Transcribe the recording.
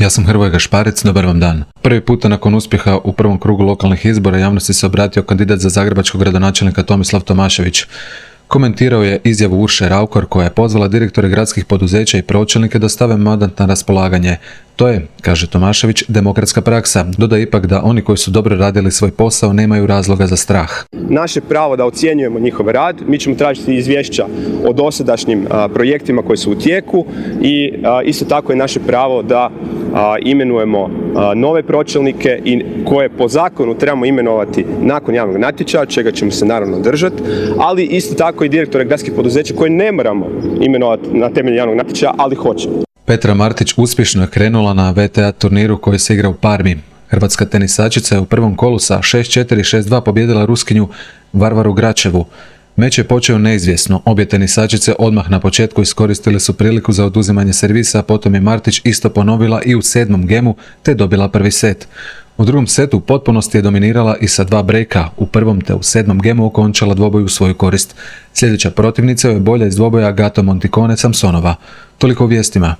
Ja sam Hrvoje Gašparec, dobar vam dan. Prvi puta nakon uspjeha u prvom krugu lokalnih izbora javnosti se obratio kandidat za zagrebačkog gradonačelnika Tomislav Tomašević. Komentirao je izjavu Urše Raukar koja je pozvala direktore gradskih poduzeća i pročelnike da stave mandat na raspolaganje. To je, kaže Tomašević, demokratska praksa. Dodaje ipak da oni koji su dobro radili svoj posao nemaju razloga za strah. Naše pravo da ocjenjujemo njihov rad, mi ćemo tražiti izvješća o dosadašnjim projektima koji su u tijeku i isto tako je naše pravo da imenujemo nove pročelnike i koje po zakonu trebamo imenovati nakon javnog natječaja, čega ćemo se naravno držati, ali isto tako i direktore gradskih poduzeća koje ne moramo imenovati na temelju javnog natječaja, ali hoćemo. Petra Martić uspješno je krenula na VTA turniru koji se igra u Parmi. Hrvatska tenisačica je u prvom kolu sa 6-4 i 6-2 pobijedila Ruskinju Varvaru Gračevu. Meč je počeo neizvjesno. Obje tenisačice odmah na početku iskoristile su priliku za oduzimanje servisa, a potom je Martić isto ponovila i u 7. gemu te dobila prvi set. U drugom setu u potpunosti je dominirala i sa 2 brejka. U prvom te u 7. gemu okončala dvoboj u svoju korist. Sljedeća protivnica je bolja iz dvoboja Gato Monticone Samsonova. Toliko u vijestima.